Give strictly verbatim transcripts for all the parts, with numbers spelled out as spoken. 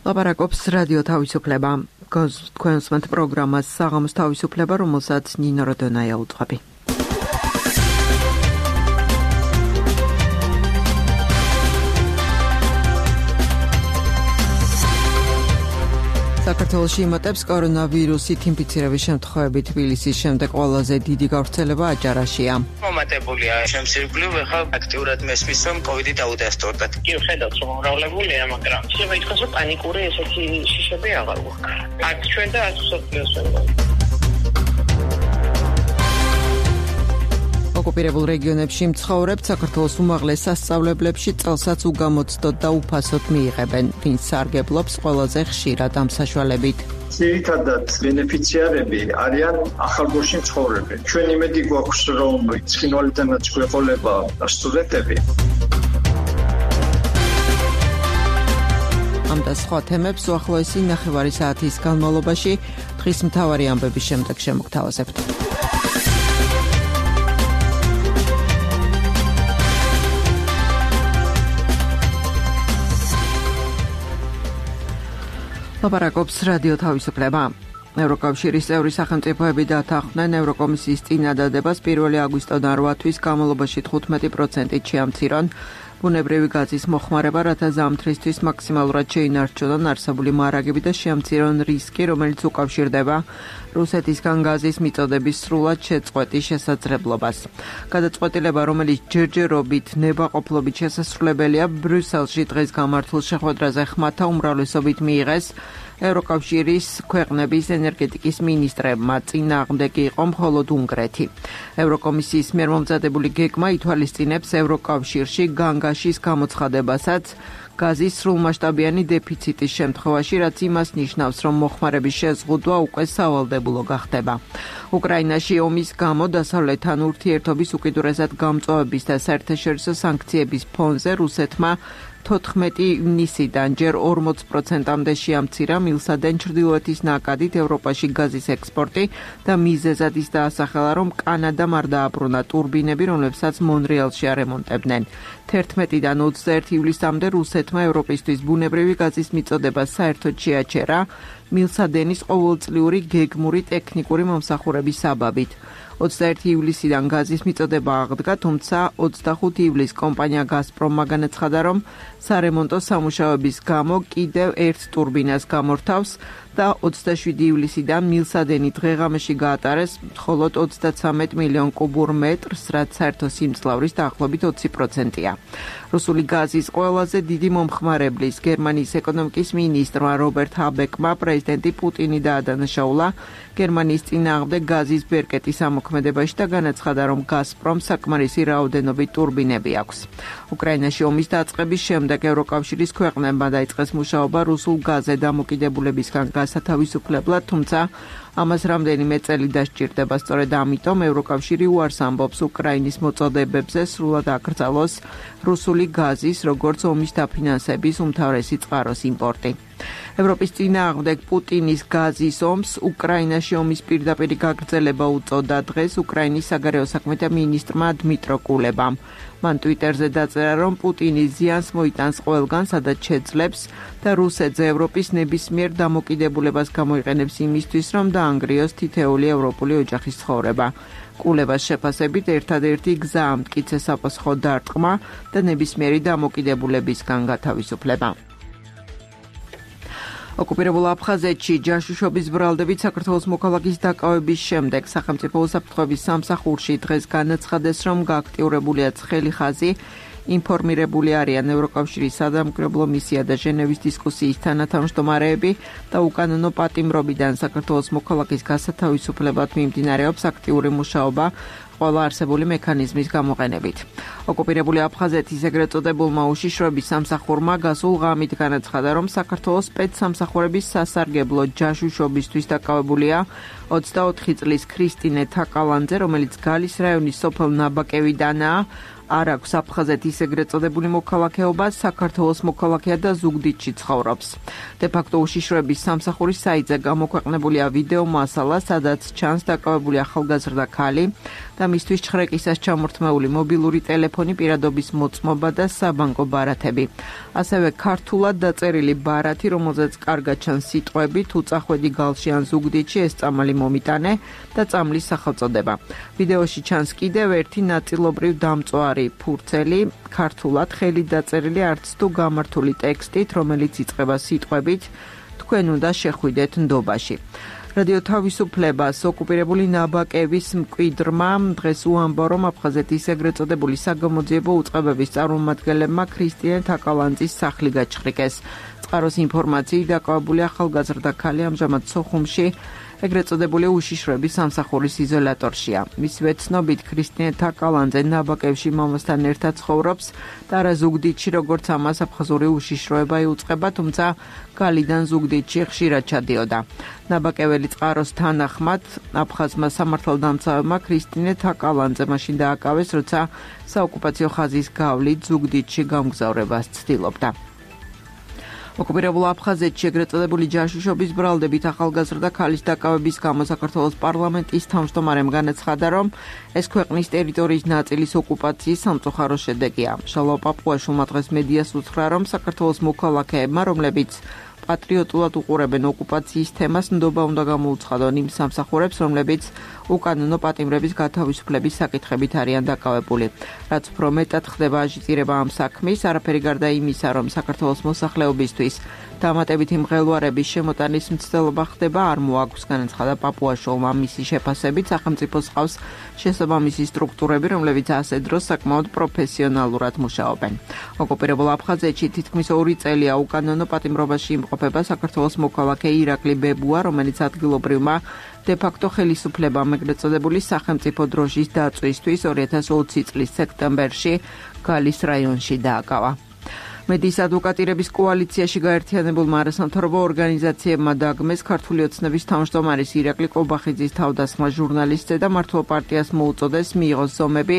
ლაპარაკობს რადიო თავისუფლება. თქვენს მეთ პროგრამას საღამოს თავისუფლება, რომელსაც ნინო როდონაია უძღვები. საქართველოში იმატებს კორონავირუსით ინფიცირების შემთხვევები. თბილისის შემდეგ ყველაზე დიდი გავრცელება აჭარაშია. მომატებულია შემსირგვლივ, ახლა აქტიურად მესმის, რომ კოვიდი დაუდასტურდათ. კი, ხედავთ, რომ უმრავლებულია, მაგრამ შეიძლება ითქვას, რომ პანიკური ესეთი შიშები აღარ გვაქვს. აქ ჩვენ და აქ სოფლიოს ვეღარ. ოკუპირებულ რეგიონებში მცხოვრებთ საქართველოს უმაღლეს სასწავლებლებში წელსაც უგამოცდოთ და უფასოდ მიიღებენ, ვინც სარგებლობს ყველაზე ხშირად ამ საშუალებით. ძირითადად ბენეფიციარები არიან ახალგორში მცხოვრები. ჩვენ იმედი გვაქვს, რომ ცხინვალიდანაც გვეყოლება სტუდენტები. ამ და სხვა თემებს უახლოესი ნახევარი საათის განმავლობაში დღის მთავარი ამბების შემდეგ შემოგთავაზებთ. ლაპარაკობს რადიო თავისუფლება. ევროკავშირის წევრი სახელმწიფოები დათანხმდნენ ევროკომისიის წინადადებას პირველი აგვისტოდან რვა თვის განმავლობაში თხუთმეტი პროცენტით შეამცირონ ბუნებრივი გაზის მოხმარება, რათა ზამთრისთვის მაქსიმალურად შეინარჩუნონ არსებული მარაგები და შეამცირონ რისკი, რომელიც უკავშირდება რუსეთისგან გაზის მიწოდების სრულად შეწყვეტის შესაძლებლობას. გადაწყვეტილება, რომელიც ჯერჯერობით ნებაყოფლობით შესასრულებელია, ბრიუსელში დღეს გამართულ შეხვედრაზე ხმათა უმრავლესობით მიიღეს ევროკავშირის ქვეყნების ენერგეტიკის მინისტრებმა. წინააღმდეგი იყო მხოლოდ უნგრეთი. ევროკომისიის მიერ მომზადებული გეგმა ითვალისწინებს ევროკავშირში განგაშის გამოცხადებასაც გაზის სრულმასშტაბიანი დეფიციტის შემთხვევაში, რაც იმას ნიშნავს, რომ მოხმარების შეზღუდვა უკვე სავალდებულო გახდება. უკრაინაში ომის გამო დასავლეთთან ურთიერთობის უკიდურესად გამწვავების და საერთაშორისო სანქციების ფონზე რუსეთმა თოთხმეტი ივნისიდან ჯერ ორმოც პროცენტამდე შეამცირა მილსადენ ჩრდილოეთის ნაკადით ევროპაში გაზის ექსპორტი და მიზეზად ის დაასახელა, რომ კანადამ არ დააბრუნა ტურბინები, რომლებსაც მონრეალში არემონტებდნენ. თერთმეტიდან ოცდაერთი ივლისამდე რუსეთმა ევროპისთვის ბუნებრივი გაზის მიწოდება საერთოდ შეაჩერა მილსადენის ყოველწლიური გეგმური ტექნიკური მომსახურების საბაბით. ოცდაერთი ივლისიდან გაზის მიწოდება აღდგა, თუმცა ოცდახუთი ივლისს კომპანია გაზპრომმა განაცხადა, რომ სარემონტო სამუშაოების გამო კიდევ ერთ ტურბინას გამორთავს და ოცდაშვიდი ივლისიდან მილსადენი დღე-ღამეში გაატარეს მხოლოდ ოცდაცამეტ მილიონ კუბურ მეტრს, რაც საერთო სიმძლავრის დაახლოებით ოცი პროცენტია. რუსული გაზის ყველაზე დიდი მომხმარებლის გერმანიის ეკონომიკის მინისტრმა რობერტ ჰაბეკმა პრეზიდენტი პუტინი დაადანაშაულა გერმანიის წინააღმდეგ გაზის ბერკეტის ამოქმედებაში და განაცხადა, რომ გაზპრომს საკმარისი რაოდენობით ტურბინები აქვს. უკრაინაში ომის დაწყების შემდეგ ევროკავშირის ქვეყნებმა დაიწყეს მუშაობა რუსულ გაზზე დამოკიდებულებისგან გასათავისუფლებლად, თუმცა ამას რამდენიმე წელი დასჭირდება. სწორედ ამიტომ ევროკავშირი უარს ამბობს უკრაინის მოწოდებებზე სრულად აკრძალოს რუსული გაზის, როგორც ომის დაფინანსების უმთავრესი წყაროს იმპორტი. ევროპის წინააღმდეგ პუტინის გაზის ომს უკრაინაში ომის პირდაპირი გაგრძელება უწოდა დღეს უკრაინის საგარეო საქმეთა მინისტრმა დმიტრო კულებამ. მან ტვიტერზე დაწერა, რომ პუტინი ზიანს მოიტანს ყველგან, სადაც შეძლებს და რუსეთზე ევროპის ნებისმიერ დამოკიდებულებას გამოიყენებს იმისთვის, რომ დაანგრიოს თითეული ევროპული ოჯახის ცხოვრება. კულებას შეფასებით ერთადერთი გზა ამ მტკიცე საპასუხო დარტყმა და ნებისმიერი დამოკიდებულებისგან გათავისუფლება. ოკუპირებულ აფხაზეთში ჯაშუშობის ბრალდებით საქართველოს მოქალაქის დაკავების შემდეგ სახელმწიფო უსაფრთხოების სამსახურში დღეს განაცხადეს, რომ გააქტიურებულია ცხელი ხაზი, ინფორმირებული არიან ევროკავშირის სადამკვირვებლო მისია და ჟენევის დისკუსიის თანათავმჯდომარეები და უკანონო პატიმრობიდან საქართველოს მოქალაქის გასათავისუფლებლად მიმდინარეობს აქტიური მუშაობა ყველა არსებული მექანიზმის გამოყენებით. ოკუპირებული აფხაზეთის ეგრეთ წოდებულმა უშიშროების სამსახურმა გასულ ღამით განაცხადა, რომ საქართველოს სპეცსამსახურების სასარგებლო ჯაშუშობისთვის დაკავებულია ოცდაოთხი წლის ქრისტინე თაკალანძე, რომელიც გალის რაიონის სოფელ ნაბაკევიდანაა. არ აქვს აფხაზეთის ეგრეთ წოდებული მოქალაქეობა, საქართველოს მოქალაქეა და ზუგდიდში ცხოვრობს. დე-ფაქტო უშიშროების სამსახურის საიტზე გამოქვეყნებულია ვიდეო მასალა, სადაც ჩანს დაკავებული ახალგაზრდა ქალი და და მისთვის ჩხრეკისას ჩამორთმეული მობილური ტელეფონი, პირადობის მოწმობა და საბანკო ბარათები. ასევე ქართულად დაწერილი ბარათი, რომელზეც კარგად ჩანს სიტყვები თუ წახვედი გალში ან ზუგდიდში ეს წამალი მომიტანე და წამლის სახელწოდება. ვიდეოში ჩანს კიდევ ერთი ნაწილობრივ დამწვარი ფურცელი, ქართულად ხელით დაწერილი არც თუ გამართული ტექსტით, რომელიც იწყება სიტყვებით თქვენ უნდა შეხვიდეთ ნდობაში. რადიო თავისუფლებას ოკუპირებული ნაბაკების მკვიდრმა დღეს უამბო, რომ აფხაზეთის ეგრეთ წოდებული საგამოძიებო უწყებების წარმომადგენლებმა ქრისტიან თაკალანძის სახლი გაჩხრიკეს. წყაროს ინფორმაციით დაკავებული ახალგაზრდა ქალი ამჟამად სოხუმში ეგრეთ წოდებული უშიშროების სამსახურის იზოლატორშია. მისივე ცნობით ქრისტიან თაკალანძე ნაბაკებში მამასთან ერთად ცხოვრობს და რა ზუგდიდში როგორც ამას აფხაზური უშიშროება იუწყება, თუმცა გალიდან ზუგდიდში ხშირად ჩადიოდა. ნაბაკეველი წყაროს თანახმად აფხაზმა სამართალდამცავებმა ქრისტინე თაკალანძე მაშინ დააკავეს, როცა საოკუპაციო ხაზის გავლით ზუგდიდში გამგზავრებას ცდილობდა. ოკუპირებულ აფხაზეთში ეგრეთ წოდებული ჯაშუშობის ბრალდებით ახალგაზრდა ქალის დაკავების გამო საქართველოს პარლამენტის თავმჯდომარემ განაცხადა, რომ ეს ქვეყნის ტერიტორიის ნაწილის ოკუპაციის სამწუხარო შედეგია. შალვა პაპუაშვილმა დღეს მედიას უთხრა, რომ საქართველოს მოქალაქეებმა, რომლებიც პატრიოტულად უყურებენ ოკუპაციის თემას, ნდობა უნდა გამოუცხადონ იმ სამსახურებს, რომლებიც უკანონო პატიმრების გათავისუფლების საკითხებით არიან დაკავებული. რაც უფრო მეტად ხდება აჟიტირება ამ საქმის, არაფერი გარდა იმისა, რომ საქართველოს მოსახლეობისთვის დამატებითი მღელვარების შემოტანის მცდელობა ხდება, არ მოაქვს, განაცხადა პაპუაშვილმა. მისი შეფასებით სახელმწიფოს ჰყავს შესაბამისი სტრუქტურები, რომლებიც ასე დროს საკმაოდ პროფესიონალურად მუშაობენ. ოკუპირებულ აფხაზეთში თითქმის ორი წელია უკანონო პატიმრობაში იმყოფება საქართველოს მოქალაქე ირაკლი ბებუა, რომელიც ადგილობრივმა დე-ფაქტო ხელისუფლებამ ეგრეთ წოდებული სახელმწიფო დროშის დაწვისთვის ორი ათას ოცი წლის სექტემბერში გალის რაიონში დააკავა. მედიის ადვოკატირების კოალიციაში გაერთიანებულმა არასამთავრობო ორგანიზაციებმა დაგმეს ქართული ოცნების თავმჯდომარის ირაკლი კობახიძის თავდასხმა ჟურნალისტზე და მართლ პარტიას მოუწოდეს მიიღოს ზომები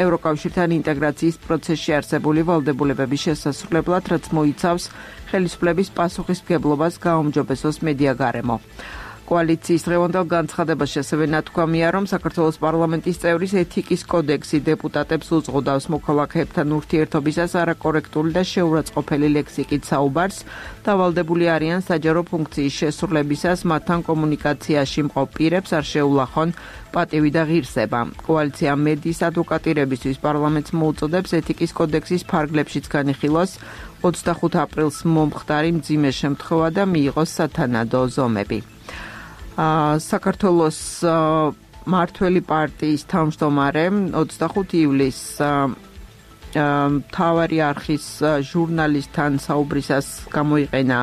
ევროკავშირთან ინტეგრაციის პროცესში არსებული ვალდებულებების შესასრულებლად, რაც მოიცავს ხელისუფლების პასუხისმგებლობას გააუმჯობესოს მედია გარემო. კოალიციის დღევანდელ განცხადებაში ასევე ნათქვამია, რომ საქართველოს პარლამენტის წევრის ეთიკის კოდექსი დეპუტატებს უძღუდავს მოქალაქეებთან ურთიერთობისას არაკორექტული და შეურაცხყოფელი ლექსიკით საუბარს და ვალდებული არიან საჯარო ფუნქციის შესრულებისას მათთან კომუნიკაციაში მყოფ პირებს არ შეულახონ პატივი და ღირსება. კოალიცია მედიის ადვოკატირებისთვის პარლამენტს მოუწოდებს ეთიკის კოდექსის ფარგლებშიც განიხილოს ოცდახუთ აპრილს მომხდარი მძიმე შემთხვევა და მიიღოს სათანადო ზომები. საქართველოს მართველი პარტიის თავმჯდომარემ ოცდახუთ ივლისს მთავარი არხის ჟურნალისტთან საუბრისას გამოიყენა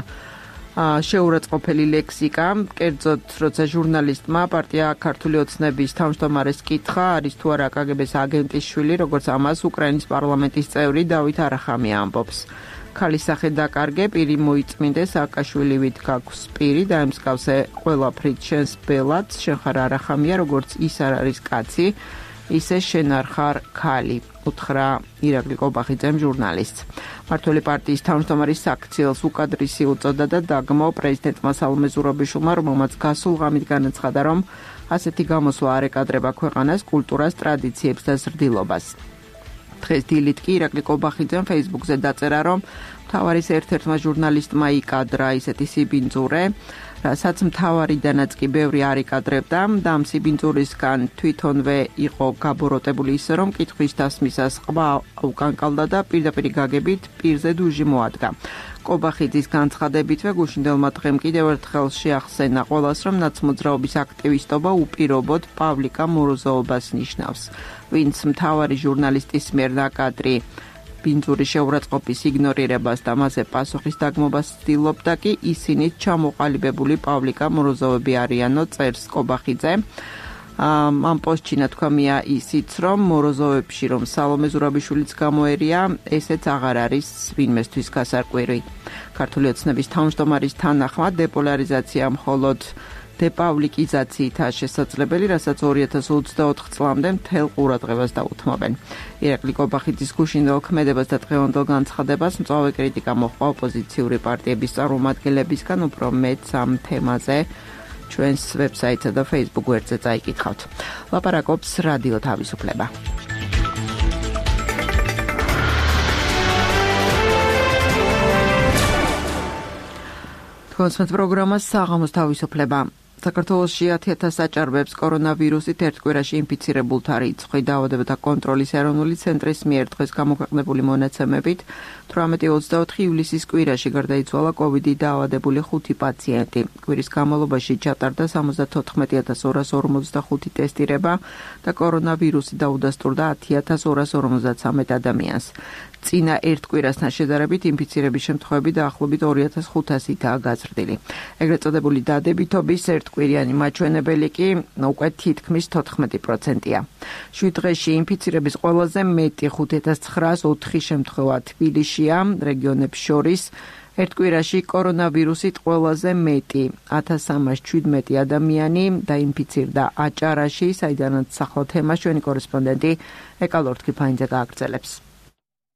შეურაცხყოფელი ლექსიკა, კერძოდ როცა ჟურნალისტმა პარტია ქართული ოცნების თავმჯდომარეს კითხა, არის თუ არა კაგებეს აგენტის შვილი, როგორც ამას უკრაინის პარლამენტის წევრი დავით არახამი ამბობს. ქალის სახე დაკარგე, პირი მოიწმინდე, სააკაშვილივით გაქვს პირი და ემსგავსე ყველაფრით შენს ბელად, შენ ხარ არახამია, როგორც ის არ არის კაცი, ისე შენ არ ხარ ქალი, უთხრა ირაკლი კობახიძემ ჟურნალისტს. მართველი პარტიის თავმჯდომარის საქციელს უკადრისი უწოდა და დაგმო პრეზიდენტმა სალომე ზურაბიშვილმა, რომელმაც გასულ ღამით განაცხადა, რომ ასეთი გამოსვლა არ ეკადრება ქვეყანას, კულტურას, ტრადიციებს და ზრდილობას. დღეს დილით კი ირაკლი კობახიძემ ფეისბუქზე დაწერა, რომ მთავარის ერთ-ერთმა ჟურნალისტმა იკადრა ისეთი სიბინძურე, რასაც მთავარიდანაც კი ბევრი არ იკადრებდა და ამ სიბინძურისგან თვითონვე იყო გაბოროტებული ისე, რომ კითხვის დასმისას ყვა უკანკალდა და პირდაპირ გაგებით პირზე დუჟი მოადგა. კობახიძის განცხადებითვე გუშინდელმა დღემ კიდევ ერთხელ შეახსენა ყველას, რომ ნაცმოძრაობის აქტივისტობა უპირობოდ პავლიკა მოროზოვობას ნიშნავს, ვინც მთავარი ჟურნალისტის მიერ ნაკადრი ბინძურის შეურაცხყოფის იგნორირებას და მასზე პასუხის დაგმობას ცდილობდა კი ისინით ჩამოყალიბებული პავლიკა მოროზოვები არიანო, წერს კობახიძე. ამ პოსტში ნათქვამია ისიც, რომ მოროზოვებში რომ სალომე ზურაბიშვილიც გამოერია, ესეც აღარ არის ვინმესთვის გასარკვირი. ქართული ოცნების თავმჯდომარის თანახმად დეპოლარიზაცია მხოლოდ დეპავლიკიზაციითაა შესაძლებელი, რასაც ორი ათას ოცდაოთხ წლამდე მთელ ყურადღებას დაუთმობენ. ირაკლი კობახიძის გუშინდელ ქმედებას და დღევანდელ განცხადებას მწვავე კრიტიკა მოჰყვა ოპოზიციური პარტიების წარმომადგენლებისგან, უფრო მეტს ამ თემაზე ჩვენს ვებსაიტსა და Facebook გვერდზე წაიკითხავთ. ლაპარაკობს რადიო თავისუფლება. კონსერტ პროგრამას საღამოს თავისუფლება. საქართველოში ათი ათას აჭარბებს კორონავირუსით ერთ კვირაში ინფიცირებულთა რიცხვი. დაავადებათა კონტროლის ეროვნული ცენტრის მიერ დღეს გამოქვეყნებული მონაცემებით თვრამეტი ოცდაოთხი ივლისის კვირაში გარდაიცვალა კოვიდით დაავადებული ხუთი პაციენტი. კვირის განმავლობაში ჩატარდა სამოცდათოთხმეტი ათას ორას ორმოცდახუთი ტესტირება და კორონავირუსი დაუდასტურდა ათი ათას ორას ორმოცდათვრამეტ ადამიანს. წინა ერთ კვირასთან შედარებით ინფიცირების შემთხვევები დაახლოებით ორი ათას ხუთასითაა გაზრდილი. ეგრეთ წოდებული დადებითობის ერთკვირიანი მაჩვენებელი კი უკვე თითქმის თოთხმეტი პროცენტია. შვიდ დღეში ინფიცირების ყველაზე მეტი ხუთი ათას ცხრაას ოთხი შემთხვევა თბილისშია, რეგიონებს შორის ერთ კვირაში კორონავირუსით ყველაზე მეტი ათას სამას შვიდმეტი ადამიანი დაინფიცირდა აჭარაში, საიდანაც ახლა თემას ჩვენი კორესპონდენტი ეკალორთ კიფაინძე გააგრძელებს.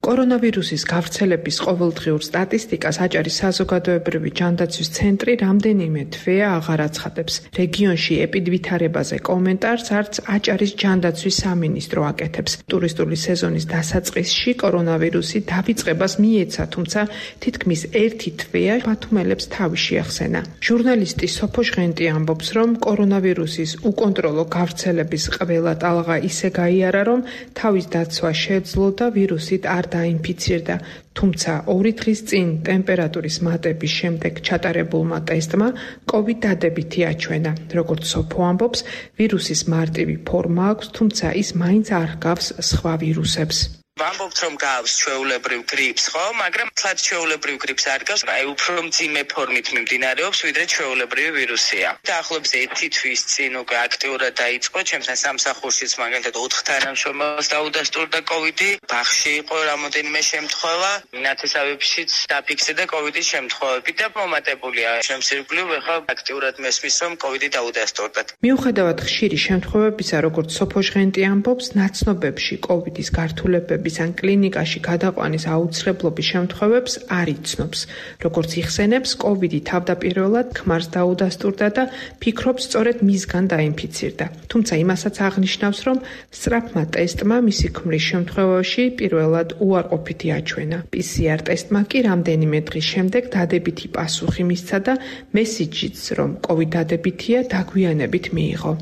კორონავირუსის გავრცელების ყოველდღიურ სტატისტიკას აჭარის საზოგადოებრივი ჯანდაცვის ცენტრი რამდენიმე თვეა აღარ აცხადებს. რეგიონში ეპიდვითარებაზე კომენტარს არც აჭარის ჯანდაცვის სამინისტრო აკეთებს. ტურისტული სეზონის დასაწყისში კორონავირუსი დავიწყებას მიეცა, თუმცა თითქმის ერთი თვეა ბათუმელებს თავი შეახსენა. ჟურნალისტი სოფო ჟღენტი ამბობს, რომ კორონავირუსის უკონტროლო გავრცელების ყველა ტალღა ისე გაიარა, რომ თავის დაცვა შეძლო და ვირუსით არ დაინფიცირდა, თუმცა ორი დღის წინ ტემპერატურის მატების შემდეგ ჩატარებულმა ტესტმა კოვიდ დადებითი აჩვენა. როგორც სოფო ამბობს, ვირუსის მარტივი ფორმა აქვს, თუმცა ის მაინც არ ჰგავს სხვა ვირუსებს. ვამბობთ, რომ გავს ჩვეულებრივ გრიპს, ხო? მაგრამ თლად ჩვეულებრივ გრიპს არ გავს, აი უფრო მძიმე ფორმით მიმდინარეობს, ვიდრე ჩვეულებრივი ვირუსია. დაახლოებით ერთი თვის წინ უკვე აქტიურად დაიწყო, ჩემთან სამსახურშიც მაგალითად ოთხ თანამშრომელს დაუდასტურდა კოვიდი, ბაღში იყო რამოდენიმე შემთხვევა, ნათესავებშიც დაფიქსირდა კოვიდის შემთხვევები და მომატებულია. ჩემს ირგვლივ ახლა აქტიურად მესმის, რომ კოვიდი დაუდასტურდათ. მიუხედავად ხშირი შემთხვევებისა, როგორც სოფო ჟღენტი ამბობს, ნაცნობებში კოვიდის გართულებები ან კლინიკაში გადაყვანის აუცილებლობის შემთხვევებს არ იცნობს. როგორც იხსენებს, კოვიდი თავდაპირველად ქმარს დაუდასტურდა და ფიქრობს სწორედ მისგან დაინფიცირდა. თუმცა იმასაც აღნიშნავს, რომ სწრაფმა ტესტმა მისი ქმრის შემთხვევაში პირველად უარყოფითი აჩვენა. პი სი არ ტესტმა კი რამდენიმე დღის შემდეგ დადებითი პასუხი მისცა და მესიჯიც, რომ კოვიდ დადებითია, დაგვიანებით მიიღო.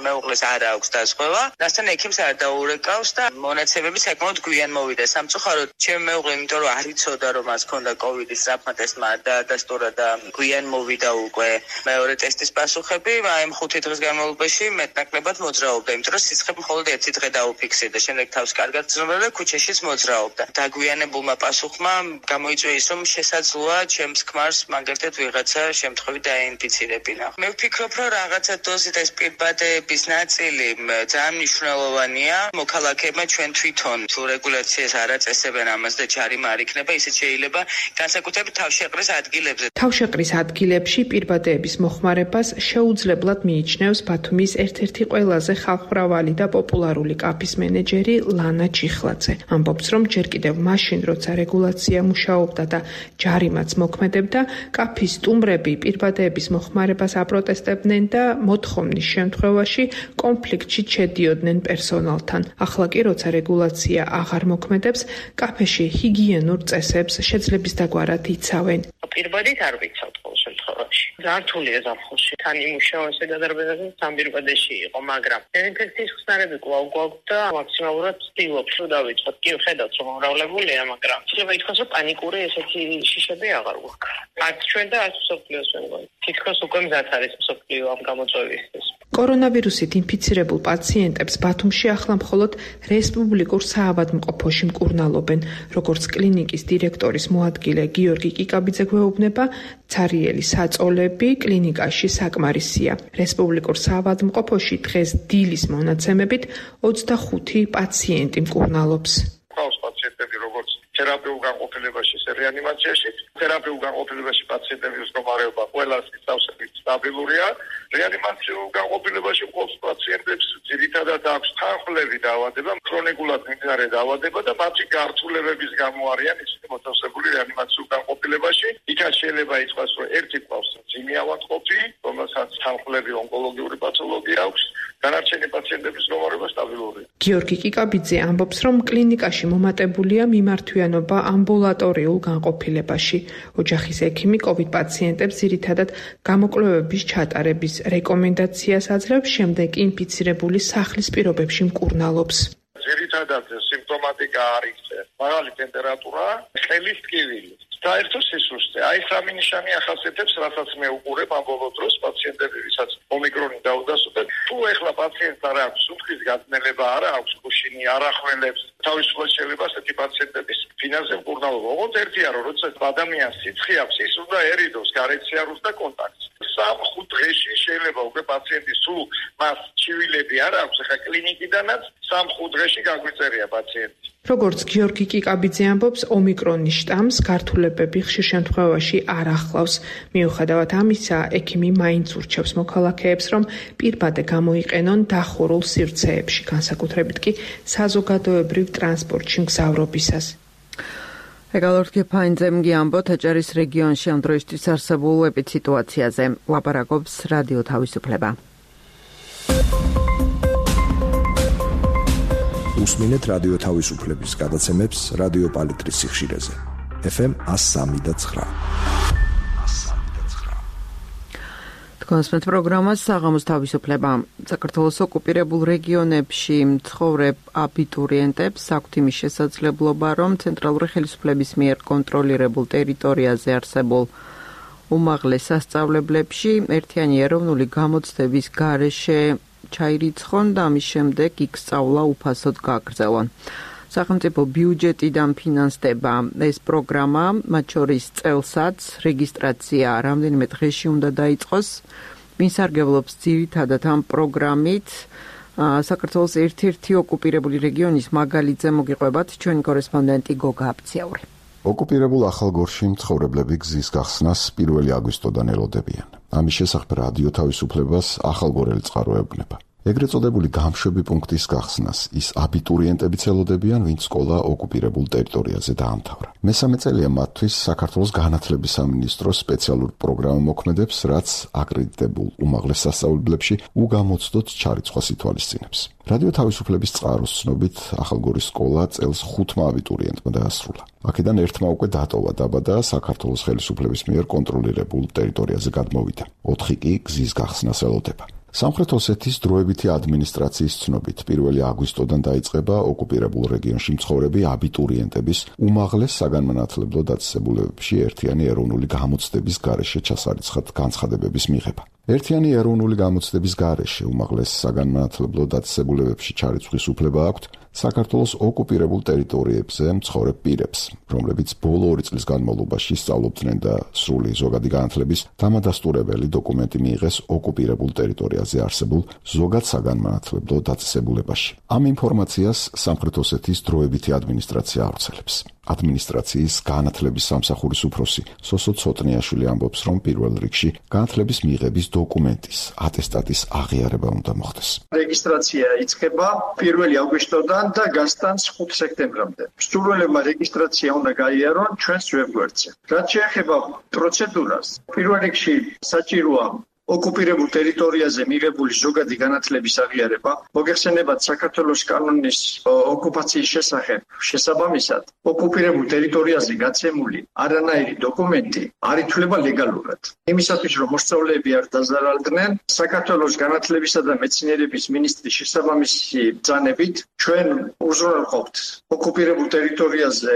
მეუღლეს არ აქვს დაზღვევა, რასთან ექიმს არ დაურეკავს და მონაცემები საკმაოდ გვიან მოვიდა. სამწუხაროდ, ჩემი მეუღლე, იმიტომ რომ არ იცოდა, რომ მას ჰქონდა კოვიდის სწრაფმა ტესტმა დაადასტურა და გვიან მოვიდა უკვე მეორე ტესტის პასუხები, აი ამ ხუთი დღის განმავლობაში მეტნაკლებად მოძრაობდა, იმიტომ რომ სიცხე მხოლოდ ერთი დღე დაუფიქსირდა, შემდეგ თავს კარგად ცნობდა და ქუჩაშიც მოძრაობდა. დაგვიანებულმა პასუხმა გამოიწვია ის, რომ შესაძლოა ჩემს ქმარს მაგალითად ვიღაცა შემთხვევით დაინფიცირებინა. მე ვფიქრობ, რომ რაღაცა დოზით ეს პირბადე ის ნაწილი ძალიან მნიშვნელოვანია. მოქალაქეებმა ჩვენ თვითონ თუ რეგულაციას არ აწესებენ ამას და ჯარიმა არ იქნება, ისიც შეიძლება განსაკუთრებით თავშეყრის ადგილებზე. თავშეყრის ადგილებში პირბადეების მოხმარებას შეუძლებლად მიიჩნევს ბათუმის ერთ-ერთი ყველაზე ხალხმრავალი და პოპულარული კაფის მენეჯერი ლანა ჩიხლაძე. ამბობს, რომ ჯერ კიდევ მაშინ, როცა რეგულაცია მუშაობდა და ჯარიმაც მოქმედებდა, კაფის სტუმრები პირბადეების მოხმარებას აპროტესტებდნენ და მოთხოვნის შემთხვევაში კონფლიქტში შედიოდნენ პერსონალთან. ახლა კი, როცა რეგულაცია აღარ მოქმედებს, კაფეში ჰიგიენურ წესებს შეძლების დაგვარად იცავენ. პირბადით არ ვიცავთ ყოველ შემთხვევაში. ზართულია ზაფხულში. თან იმუშავა ესე გადარბედაზე სამბირბადეში იყო, მაგრამ დეზინფექციის ხსნარები კვლავ გვაქვს და მაქსიმალურად ვცდილობთ, რომ დავიწყოთ. კი, ხედავთ, რომ უმრავლებულია, მაგრამ შეიძლება ითქვას, რომ პანიკური ესეთი შიშები აღარ გვაქვს. არც ჩვენ და არც მსოფლიოს მეგონი. თითქოს უკვე მზად არის მსოფლიო ამ გამოწვევისთვის. კორონავირუსით ინფიცირებულ პაციენტებს ბათუმში ახლა მხოლოდ რესპუბლიკურ საავადმყოფოში მკურნალობენ. როგორც კლინიკის დირექტორის მოადგილე გიორგი კიკაბიძე გვეუბნება, ცარიელი საწოლები კლინიკაში საკმარისია. რესპუბლიკურ საავადმყოფოში დღეს დილის მონაცემებით ოცდახუთი პაციენტი მკურნალობს. ყავს პაციენტები, როგორც თერაპიულ განყოფილებაში, რეანიმაციაში, თერაპიულ განყოფილებაში პაციენტების მდგომარეობა ყველას ისავსებით სტაბილურია. რეანიმაციულ განყოფილებაში მყოფ პაციენტებს ძირითადად აქვს თანხმლები დაავადება, ქრონიკულად მიმდინარე დაავადება და მათი გართულებების გამო არიან ისინი მოთავსებული რეანიმაციულ განყოფილებაში. იქაც შეიძლება ითქვას, რომ ერთი ყავს ძიმი ავადმყოფი, რომელსაც თანხმლები ონკოლოგიური პათოლოგია აქვს, განარჩენი პაციენტების მდგომარეობა სტაბილურია. გიორგი კიკაბიძე ამბობს, რომ კლინიკაში მომატებულია მიმართვიანობა ამბულატორიულ განყოფილებაში. ოჯახის ექიმი COVID პაციენტებს ძირითადად გამოკვლევების ჩატარების რეკომენდაციას აძლევს, შემდეგ ინფიცირებული სახლის პირობებში მკურნალობს. ძირითადად სიმპტომატიკა არის მაღალი ტემპერატურა, ხელის ტკივილი. საერთო სისუსტე. აი სამი ნიშანი ახასიათებს, რასაც მე უყურებ ამ ბოლო დროს პაციენტები, ვისაც ომიკრონი დაუდასტურდა. თუ ეხლა პაციენტს არ აქვს სუნთქვის გაწნელება, არ აქვს კუშინი, არ ახველებს, თავისუფლად შეიძლება ასეთი პაციენტების ფინანსზე მკურნალობა. ოღონდ ერთია, რომ როცა ადამიანს სიცხე აქვს, ის უნდა ერიდოს გარეთ სიარულს და კონტაქტს. სამ-ხუთ დღეში შეიძლება უკვე პაციენტის სულ მას ჩივილები არ აქვს, ახლა კლინიკიდანაც სამ-ხუთ დღეში გაგვიწერია პაციენტი. როგორც გიორგი კიკაბიძე ამბობს, ომიკრონის შტამს გართულებები ხშირ შემთხვევაში არ ახლავს. მიუხედავად ამისა, ექიმი მაინც ურჩევს მოქალაქეებს, რომ პირბადე გამოიყენონ დახურულ სივრცეებში, განსაკუთრებით კი საზოგადოებრივ ტრანსპორტში მგზავრობისას. ეგალორთკი ფაინძემგი ამბობთ აჭარის რეგიონში ამ დროისთვის არსებულ ეპიდსიტუაციაზე. ლაპარაკობს რადიო თავისუფლება. უსმინეთ რადიო თავისუფლების გადაცემებს რადიო პალიტრის სიხშირეზე. ეფ ემ one oh three point nine. თქვენს პროგრამას საღამოს თავისუფლება. საქართველოს ოკუპირებულ რეგიონებში მცხოვრებ აბიტურიენტებს აქვთ იმის შესაძლებლობა, რომ ცენტრალური ხელისუფლების მიერ კონტროლირებულ ტერიტორიაზე არსებულ უმაღლეს სასწავლებლებში ერთიანი ეროვნული გამოცდების გარეშე ჩაირიცხონ და ამის შემდეგ იქ სწავლა უფასოდ გაგრძელონ. სახელმწიფო ბიუჯეტიდან ფინანსდება ეს პროგრამა, მათ შორის წელსაც რეგისტრაცია რამდენიმე დღეში უნდა დაიწყოს. მისარგებლობს ძირითადად ამ პროგრამით საქართველოს ერთ-ერთი ოკუპირებული რეგიონის მაგალითზე მოგიყვებათ ჩვენი კორესპონდენტი გოგა აბციაური. ოკუპირებულ ახალგორში მცხოვრებლები გზის გახსნას პირველი აგვისტოდან ელოდებიან. ამის შესახებ რადიო თავისუფლებას ახალგორელი წყარო ეუბნება. ეგრეთ წოდებული გამშვები პუნქტის გახსნას ის აბიტურიენტებიც ელოდებიან, ვინც სკოლა ოკუპირებულ ტერიტორიაზე დაამთავრა. მესამე წელია მათთვის საქართველოს განათლების სამინისტროს სპეციალურ პროგრამა მოქმედებს, რაც აკრედიტებულ უმაღლეს სასწავლებლებში უგამოცდოთ ჩარიცხვას ითვალისწინებს. რადიო თავისუფლების წყაროს ცნობით, ახალგორის სკოლა წელს ხუთმა აბიტურიენტმა დაასრულა. აქედან ერთმა უკვე დატოვა დაბა და საქართველოს ხელისუფლების მიერ კონტროლირებულ ტერიტორიაზე გადმოვიდა. ოთხი კი გზის გახსნას ელოდება. სამხრეთ ოსეთის დროებითი ადმინისტრაციის ცნობით პირველი აგვისტოდან დაიწყება ოკუპირებულ რეგიონში მცხოვრები აბიტურიენტების უმაღლეს საგანმანათლებლო დაწესებულებებში ერთიანი ეროვნული გამოცდების გარეშე ჩასარიცხად განცხადებების მიღება. ერთიანი ეროვნული გამოცდების გარეშე უმაღლეს საგანმანათლებლო დაწესებულებებში ჩარიცხვის უფლება აქვთ საქართველოს ოკუპირებულ ტერიტორიებზე მცხოვრებ პირებს, რომლებიც ბოლო ორი წლის განმავლობაში სწავლობდნენ და სრული ზოგადი განათლების დამადასტურებელი დოკუმენტი მიიღეს ოკუპირებულ ტერიტორიაზე არსებულ ზოგად საგანმანათლებლო დაწესებულებაში. ამ ინფორმაციას სამხრეთ ოსეთის დროებითი ადმინისტრაცია ავრცელებს. ადმინისტრაციის განათლების სამსახურის უფროსი სოსო ცოტნიაშვილი ამბობს, რომ პირველ რიგში განათლების მიღების დოკუმენტის ატესტატის აღიარება უნდა მოხდეს. რეგისტრაცია იწყება პირველი აგვისტოდან და გასტანს ხუთ სექტემბრამდე. მსურველებმა რეგისტრაცია უნდა გაიარონ ჩვენს ვებგვერდზე. რაც შეეხება პროცედურას, პირველ რიგში საჭიროა ოკუპირებულ ტერიტორიაზე მიღებული ზოგადი განათლების აღიარება, მოგეხსენებათ საქართველოს კანონის ოკუპაციის შესახებ შესაბამისად, ოკუპირებულ ტერიტორიაზე გაცემული არანაირი დოკუმენტი არ ითვლება ლეგალურად. იმისათვის, რომ მოსწავლეები არ დაზარალდნენ, საქართველოს განათლებისა და მეცნიერების მინისტრის შესაბამისი ბრძანებით ჩვენ უზრუნველყოფთ ოკუპირებულ ტერიტორიაზე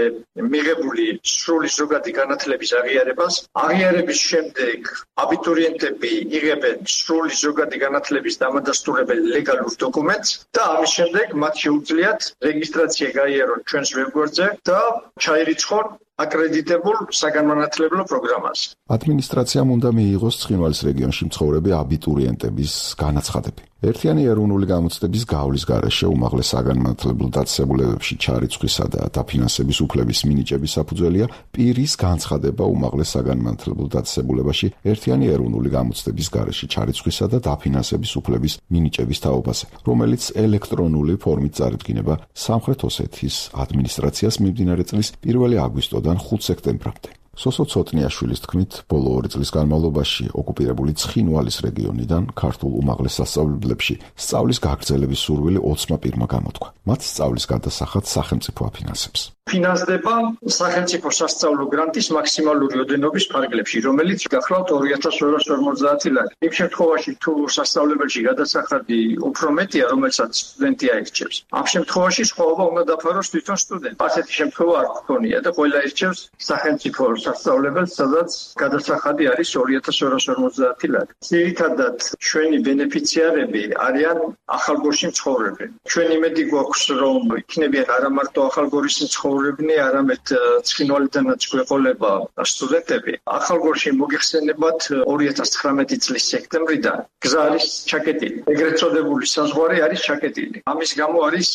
მიღებული სრული ზოგადი განათლების აღიარებას. აღიარების შემდეგ აბიტურიენტები იღებენ სრული ზოგადი განათლების დამადასტურებელ ლეგალურ დოკუმენტს და ამის შემდეგ მათ შეუძლიათ რეგისტრაცია გაიარონ ჩვენს ვებგვერდზე და ჩაირიცხონ აკრედიტებულ საგანმანათლებლო პროგრამაზე. ადმინისტრაციამ უნდა მიიღოს ცხინვალის რეგიონში მცხოვრები აბიტურიენტების განაცხადები. ერთიანი ეროვნული გამოცდების გავლის გარეშე უმაღლეს საგანმანათლებლო დაწესებულებებში ჩარიცხვისა და დაფინანსების უფლების მინიჭების საფუძველია პირის განცხადება უმაღლეს საგანმანათლებლო დაწესებულებაში ერთიანი ეროვნული გამოცდების გარეშე ჩარიცხვისა და დაფინანსების უფლების მინიჭების თაობაზე, რომელიც ელექტრონული ფორმით წარდგინება სამხრეთ ოსეთის ადმინისტრაციას მიმდინარე წლის პირველი აგვისტოდან ხუთი სექტემბრამდე. სოსო ცოტნიაშვილის თქმით, ბოლო ორი წლის განმავლობაში ოკუპირებული ცხინვალის რეგიონიდან ქართულ უმაღლეს სასწავლებლებში სწავლის გაგრძელების სურვილი ოცმა პირმა გამოთქვა. მათ სწავლის გადასახად სახელმწიფო აფინანსებს. ფინანსდება სახელმწიფო სასწავლო გრანტის მაქსიმალური ოდენობის ფარგლებში, რომელიც გახლავთ ორი ათას ორმოცდაათი ლარი. იმ შემთხვევაში, თუ სასწავლებელში გადასახადი უფრო მეტია, რომელსაც სტუდენტი აირჩევს, ამ შემთხვევაში სხვაობა უნდა დაფაროს თვითონ სტუდენტს. ასეთი შემთხვევა არ გქონია და ყველა ირჩევს სახელმწიფო სასწავლებელს, სადაც გადასახადი არის ორი ათას ორმოცდაათი ლარი. ძირითადად ჩვენი ბენეფიციარები არიან ახალგორში მცხოვრები. ჩვენ იმედი გვაქვს, რომ იქნებიან არა მარტო ახალგორის მცხოვრებნი, არამედ ცხინვალიდანაც გვეყოლება სტუდენტები. ახალგორში მოგეხსენებათ ორი ათას ცხრამეტი წლის სექტემბრიდან გზა არის ჩაკეტილი. ეგრეთ წოდებული საზღვარი არის ჩაკეტილი. ამის გამო არის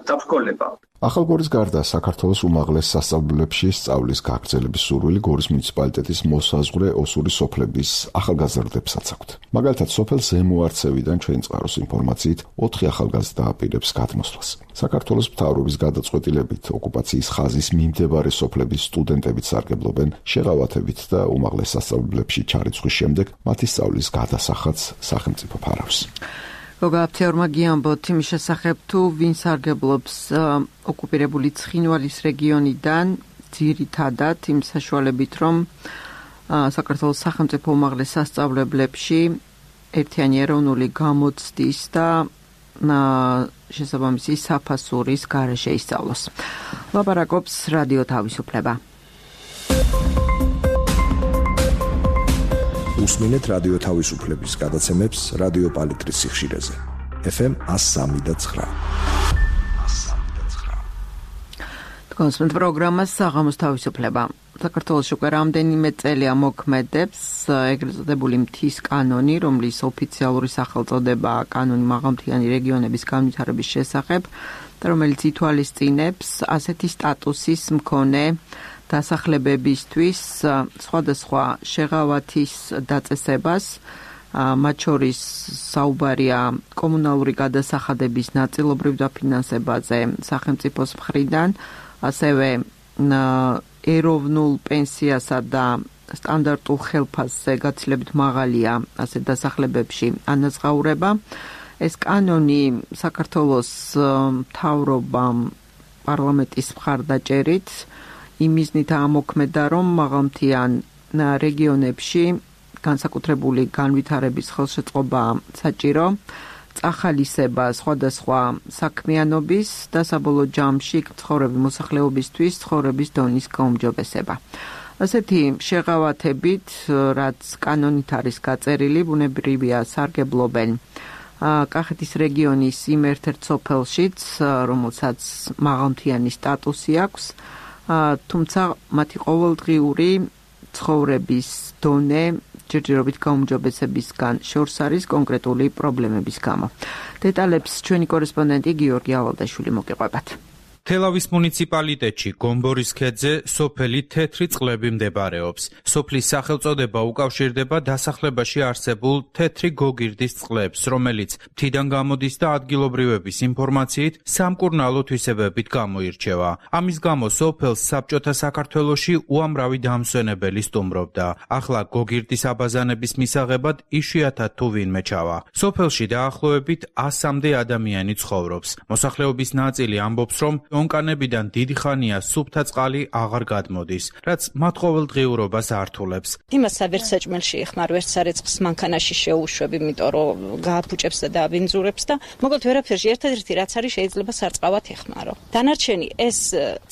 დაბრძოლება. ახალგორის გარდა საქართველოს უმაღლეს სასწავლებლებში სწავლის გაგრძელების სურვილი გორის მუნიციპალიტეტის მოსაზღვრე ოსური სოფლების ახალგაზრდებსაც აქვთ. მაგალითად, სოფელ ზემოარცევიდან ჩვენ წყაროს ინფორმაციით ოთხი ახალგაზრდა აპირებს გადმოსვლას. საქართველოს მთავრობის გადაწყვეტილებით ოკუპაციის ხაზის მიმდებარე სოფლების სტუდენტებიც სარგებლობენ შეღავათებით და უმაღლეს სასწავლებლებში ჩარიცხვის შემდეგ მათი სწავლის გადასახადს სახელმწიფო ფარავს. გოგა აფთიარმა გიამბოთ იმის შესახებ, თუ ვინ სარგებლობს ოკუპირებული ცხინვალის რეგიონიდან ძირითადად იმ საშუალებით, რომ საქართველოს სახელმწიფო უმაღლეს სასწავლებლებში ერთიანი ეროვნული გამოცდის და შესაბამისი საფასურის გარეშე ისწავლოს. ლაპარაკობს რადიო თავისუფლება. უსმინეთ რადიო თავისუფლების გადაცემებს რადიო პალიტრის სიხშირეზე. ეფ ემ one oh three point nine. კონსმენთ პროგრამა საღამოს თავისუფლება. საქართველოს უკვე რამდენიმე წელია მოქმედებს ეგრეთ წოდებული მთის კანონი, რომლის ოფიციალური სახელწოდება კანონი მაღალმთიანი რეგიონების განვითარების შესახებ, და რომელიც ითვალისწინებს ასეთი სტატუსის მქონე დასახლებებისთვის სხვადასხვა შეღავათის დაწესებას, მათ შორის საუბარია კომუნალური გადასახადების ნაწილობრივ დაფინანსებაზე სახელმწიფოს მხრიდან, ასევე ეროვნულ პენსიასა და სტანდარტულ ხელფასზე გაცილებით მაღალია ასეთ დასახლებებში ანაზღაურება. ეს კანონი საქართველოს მთავრობამ პარლამენტის მხარდაჭერით იმიზნით ამოქმედა, რომ მაღალმთიან რეგიონებში განსაკუთრებული განვითარების ხელშეწყობა საჭირო, წახალისება სხვადასხვა საქმიანობის და საბოლოო ჯამში ცხოვრების მოსახლეობისთვის ცხოვრების დონის გაუმჯობესება. ასეთი შეღავათებით, რაც კანონით არის გაწერილი, ბუნებრივია სარგებლობენ კახეთის რეგიონის იმ ერთ-ერთ სოფელშიც, რომელსაც მაღალმთიანი სტატუსი აქვს, თუმცა მათი ყოველდღიური ცხოვრების დონე ჯერჯერობით გაუმჯობესებისგან შორს არის კონკრეტული პრობლემების გამო. დეტალებს ჩვენი კორესპონდენტი გიორგი ავალდაშვილი მოგიყვებათ. თელავის მუნიციპალიტეტში გომბორის ქედზე სოფელი თეთრი წყლები მდებარეობს. სოფლის სახელწოდება უკავშირდება დასახლებაში არსებულ თეთრი გოგირდის წყლებს, რომელიც მთიდან გამოდის და ადგილობრივების ინფორმაციით სამკურნალო თვისებებით გამოირჩევა. ამის გამო სოფელს საბჭოთა საქართველოში უამრავი დამსვენებელი სტუმრობდა. ახლა გოგირდის აბაზანების მისაღებად იშვიათად თუ ვინმე ჩავა. სოფელში დაახლოებით ასამდე ადამიანი ცხოვრობს. მოსახლეობის ნაწილი ამბობს, რომ ონკანებიდან დიდი ხანია სუფთა წყალი აღარ გადმოდის, რაც მათ ყოველდღიურობას ართულებს. იმას ვერც საჭმელში ეხმარ, ვერც სარეცხს მანქანაში შეუშვებ, იმიტომ რომ გააფუჭებს და დააბინძურებს და მოკლედ ვერაფერში ერთადერთი რაც არის შეიძლება სარწყავად ეხმარო. დანარჩენი ეს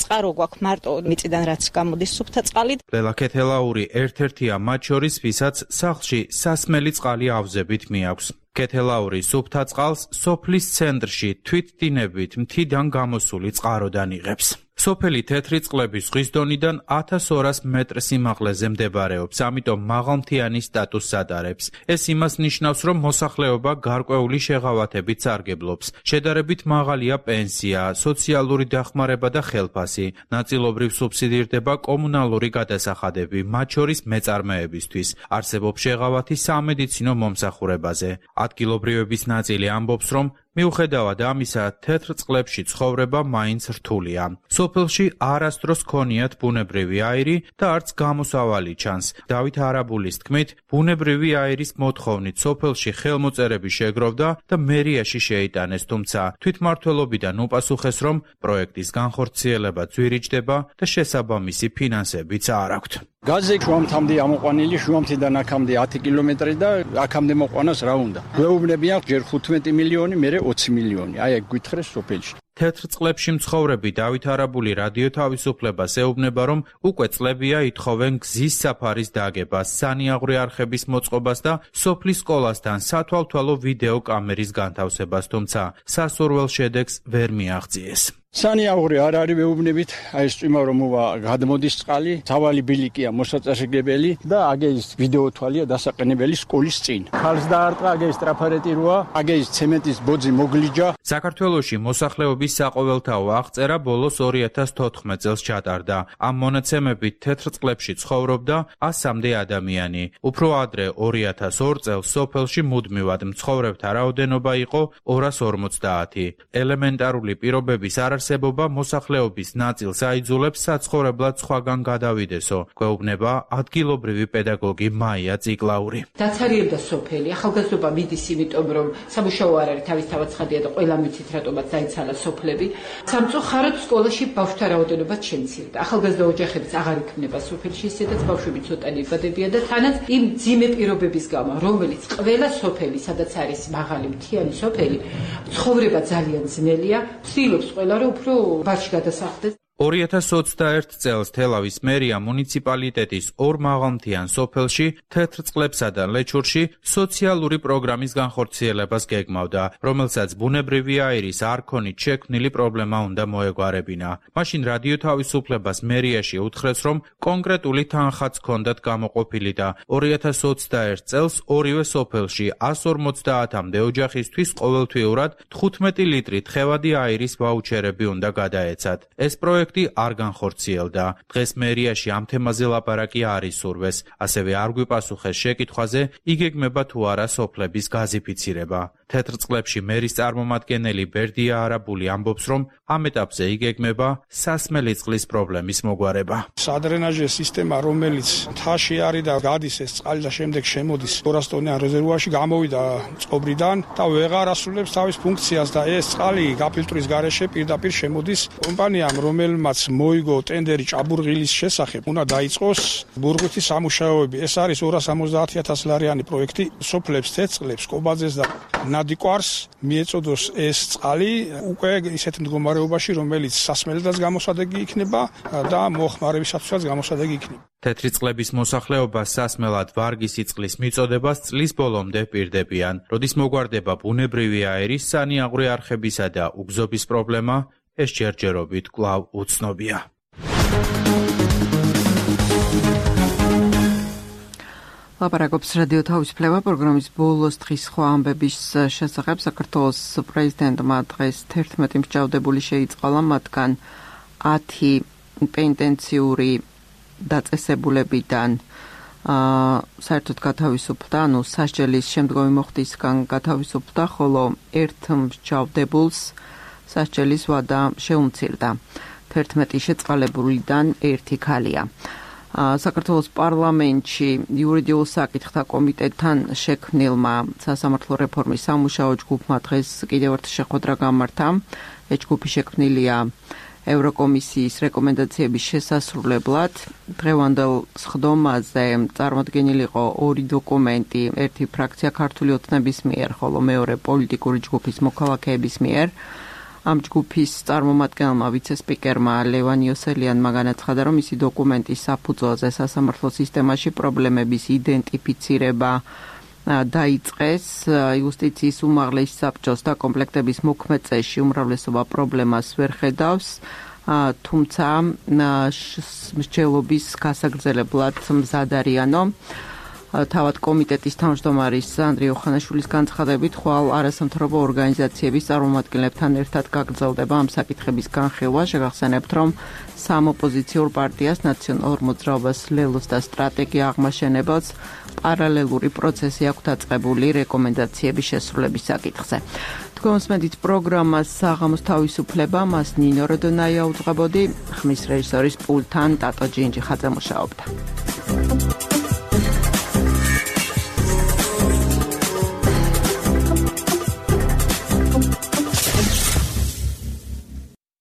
წყარო გვაქვს მარტო მიწიდან რაც გამოდის სუფთა წყალი. ლელა ქეთელაური ერთ-ერთია მათ შორის, ვისაც სახლში სასმელი წყალი ავზებით მიაქვს. ქეთელაური სუფთა წყალს სოფლის ცენტრში თვითდინებით მთიდან გამოსული წყაროდან იღებს. სოფელი თეთრი წყლები ზღვის დონიდან ათას ორას მეტრ სიმაღლეზე მდებარეობს, ამიტომ მაღალმთიანი სტატუსს ატარებს. ეს იმას ნიშნავს, რომ მოსახლეობა გარკვეული შეღავათებით სარგებლობს. შედარებით მაღალია პენსია, სოციალური დახმარება და ხელფასი. ნაწილობრივ სუბსიდირდება კომუნალური გადასახადები, მათ შორის მეწარმეებისთვის. არსებობს შეღავათი სამედიცინო მომსახურებაზე. ადგილობრივების ნაწილი ამბობს, რომ მიუხედავად ამისა, თეთრ წყლებში ცხოვრება მაინც რთულია. სოფელში არასდროს ქონიათ ბუნებრივი აირი და არც გამოსავალი ჩანს. დავით არაბულის თქმით, ბუნებრივი აირის მოთხოვნით სოფელში ხელმოწერები შეგროვდა და მერიაში შეიტანეს, თუმცა თვითმმართველობიდან უპასუხეს, რომ პროექტის განხორციელება ძვირიჭდება და შესაბამისი ფინანსებიც არ აქვთ. გაზი შუამთამდე ამოყვანილი, შუამთიდან აქამდე ათი კილომეტრი და აქამდე მოყვანას რა უნდა. გვეუბნებიან ჯერ ხუთმეტი მილიონი, მერე ოცი მილიონი. აი ეგ გითხრეს სოფელში. თეთრ წყლებში მცხოვრები დავით არაბული რადიო თავისუფლებას ეუბნება, რომ უკვე წლებია ითხოვენ გზის საფარის დაგებას, სანიაღვრე არხების მოწყობას და სოფლის სკოლასთან სათვალთვალო ვიდეო კამერის განთავსებას, თუმცა სასურველ შედეგს ვერ მიაღწიეს. სანიაღვრე არ არის ვეუბნებით, აი ეს წვიმა რომ მოვა გადმოდის წყალი, თავალი ბილიკია მოსაწესრიგებელი და აგე ის ვიდეო თვალია დასაყენებელი სკოლის წინ. ხალხს დაარტყა, აგე ის ტრაფარეტი როა, აგე ის ცემენტის ბოძი მოგლიჯა. საქართველოში მოსახლეობის საყოველთაო აღწერა ბოლოს ორი ათას თოთხმეტ წელს ჩატარდა. ამ მონაცემებით თეთრ წყლებში ცხოვრობდა ასამდე ადამიანი. უფრო ადრე ორი ათას ორ წელს სოფელში მუდმივად მცხოვრებთა რაოდენობა იყო ორას ორმოცდაათი. ელემენტარული პირობების არ არსებობა მოსახლეობის ნაწილს აიძულებს საცხოვრებლად სხვაგან გადავიდესო, გვეუბნება ადგილობრივი პედაგოგი მაია ციკლაური. დაცარიელდა სოფელი, ახალგაზრდობა მიდის, იმიტომ რომ სამუშაო არ არის, თავისთავად ცხადია და ყველამ ვიცით რატომაც დაიცალა სოფლები. სამწუხაროდ სკოლაში ბავშვთა რაოდენობა შემცირდა. ახალგაზრდა ოჯახებიც აღარ იქმნება სოფელში, ისედაც ბავშვები ცოტანი იბადებიან და თანაც იმ ძიმე პირობების გამო, რომელიც ყველა სოფელი, სადაც არის მაღალი მთიანი სოფელი, ცხოვრება ძალიან ძნელია, ცდილობს ყველა უფრო ბარში გადასახლდეს. ორი ათას ოცდაერთ წელს თელავის მერია მუნიციპალიტეტის ორ მაღალმთიან სოფელში თეთრ წყლებსა და ლეჩურში სოციალური პროგრამის განხორციელებას გეგმავდა, რომელსაც ბუნებრივი აირის არქონით შექმნილი პრობლემა უნდა მოეგვარებინა. მაშინ რადიო თავისუფლებას მერიაში უთხრეს, რომ კონკრეტული თანხაც ჰქონდათ გამოყოფილი და ორი ათას ოცდაერთ წელს ორივე სოფელში ას ორმოცდაათამდე ოჯახისთვის ყოველთვიურად თხუთმეტი ლიტრი თხევადი აირის ვაუჩერები უნდა გადაეცათ. ეს პროექტი არ განხორციელდა. დღეს მერიაში ამ თემაზე ლაპარაკი არ ისურვეს. ასევე არ გვიპასუხეს შეკითხვაზე, იგეგმება თუ არა სოფლების გაზიფიცირება. თეთრ წყლებში მერის წარმომადგენელი ბერდია არაბული ამბობს, რომ ამ ეტაპზე იგეგმება სასმელი წყლის პრობლემის მოგვარება. სადრენაჟე სისტემა, რომელიც მთაში არის და გადის ეს წყალი და შემდეგ შემოდის ორასტონიან რეზერვუარში, გამოვიდა წყობრიდან და ვეღარ ასრულებს თავის ფუნქციას და ეს წყალი გაფილტრის გარეშე პირდაპირ შემოდის კომპანიამ, რომელმაც მოიგო ტენდერი ჭაბურღილის შესახებ, უნდა დაიწყოს ბურღვითი სამუშაოები. ეს არის ორას ორმოცდაათი ათას ლარიანი პროექტი, სოფლებს, თეთრ წყლებს, კობაძეს და ნადიკვარს მიეწოდოს ეს წყალი უკვე ისეთ მდგომარეობაში, რომელიც სასმელადაც გამოსადეგი იქნება და მოხმარებისათვისაც გამოსადეგი იქნება. თეთრი წყლების მოსახლეობა სასმელად ვარგისი წყლის მიწოდებას წლის ბოლომდე პირდებიან. როდის მოგვარდება ბუნებრივი აირის, სანიაღვრე არხებისა და უგზობის პრობლემა, ეს ჯერჯერობით კვლავ უცნობია. ლაპარაკობს რადიო თავისუფლება პროგრამის ბოლოს დღის სხვა ამბების შესახებ. საქართველოს პრეზიდენტმა დღეს თერთმეტი მსჯავრდებული შეიწყალა, მათგან ათი პენტენციური დაწესებულებიდან საერთოდ გათავისუფლდა, ანუ სასჯელის შემდგომი მოხდისგან გათავისუფლდა, ხოლო ერთ მსჯავრდებულს სასჯელის ვადა შეუმცირდა. თერთმეტი შეწყალებულიდან ერთი ქალია. საქართველოს პარლამენტში იურიდიულ საკითხთა კომიტეტთან შექმნილმა სასამართლო რეფორმის სამუშაო ჯგუფმა დღეს კიდევ ერთი შეხვედრა გამართა. ეს ჯგუფი შექმნილია ევროკომისიის რეკომენდაციების შესასრულებლად. დღევანდელ სხდომაზე წარმოდგენილი იყო ორი დოკუმენტი, ერთი ფრაქცია ქართული ოცნების მიერ, ხოლო მეორე პოლიტიკური ჯგუფის მოქალაქეების მიერ. ამ ჯგუფის წარმომადგენელმა ვიცესპიკერმა ლევან იოსელიანმა განაცხადა, რომ მისი დოკუმენტის საფუძველზე სასამართლო სისტემაში პრობლემების იდენტიფიცირება დაიწყეს. იუსტიციის უმაღლეს საბჭოს და კომპლექტების მოქმედწეში უმრავლესობა პრობლემას ვერ ხედავს. თუმცა მსჯელობის გასაგრძელებლად მზად არიანო. თავად კომიტეტის თავმჯდომარის ანდრია ოხანაშვილის განცხადებით, ხვალ არასამთავრობო ორგანიზაციების წარმომადგენლებთან ერთად გაგრძელდება ამ საკითხების განხილვა. შეგახსენებთ, რომ სამოპოზიციურ პარტიას ნაციონალურ მოძრაობას ლელოს და სტრატეგია აღმაშენებელს პარალელური პროცესი აქვს დაწყებული რეკომენდაციების შესრულების საკითხზე. თქვენს მედით პროგრამას საღამოს თავისუფლება, მას ნინო როდონაია უძღვებოდი, ხმის რეჟისორის პულტთან ტატო ჯინჯი ხაძე მუშაობდა.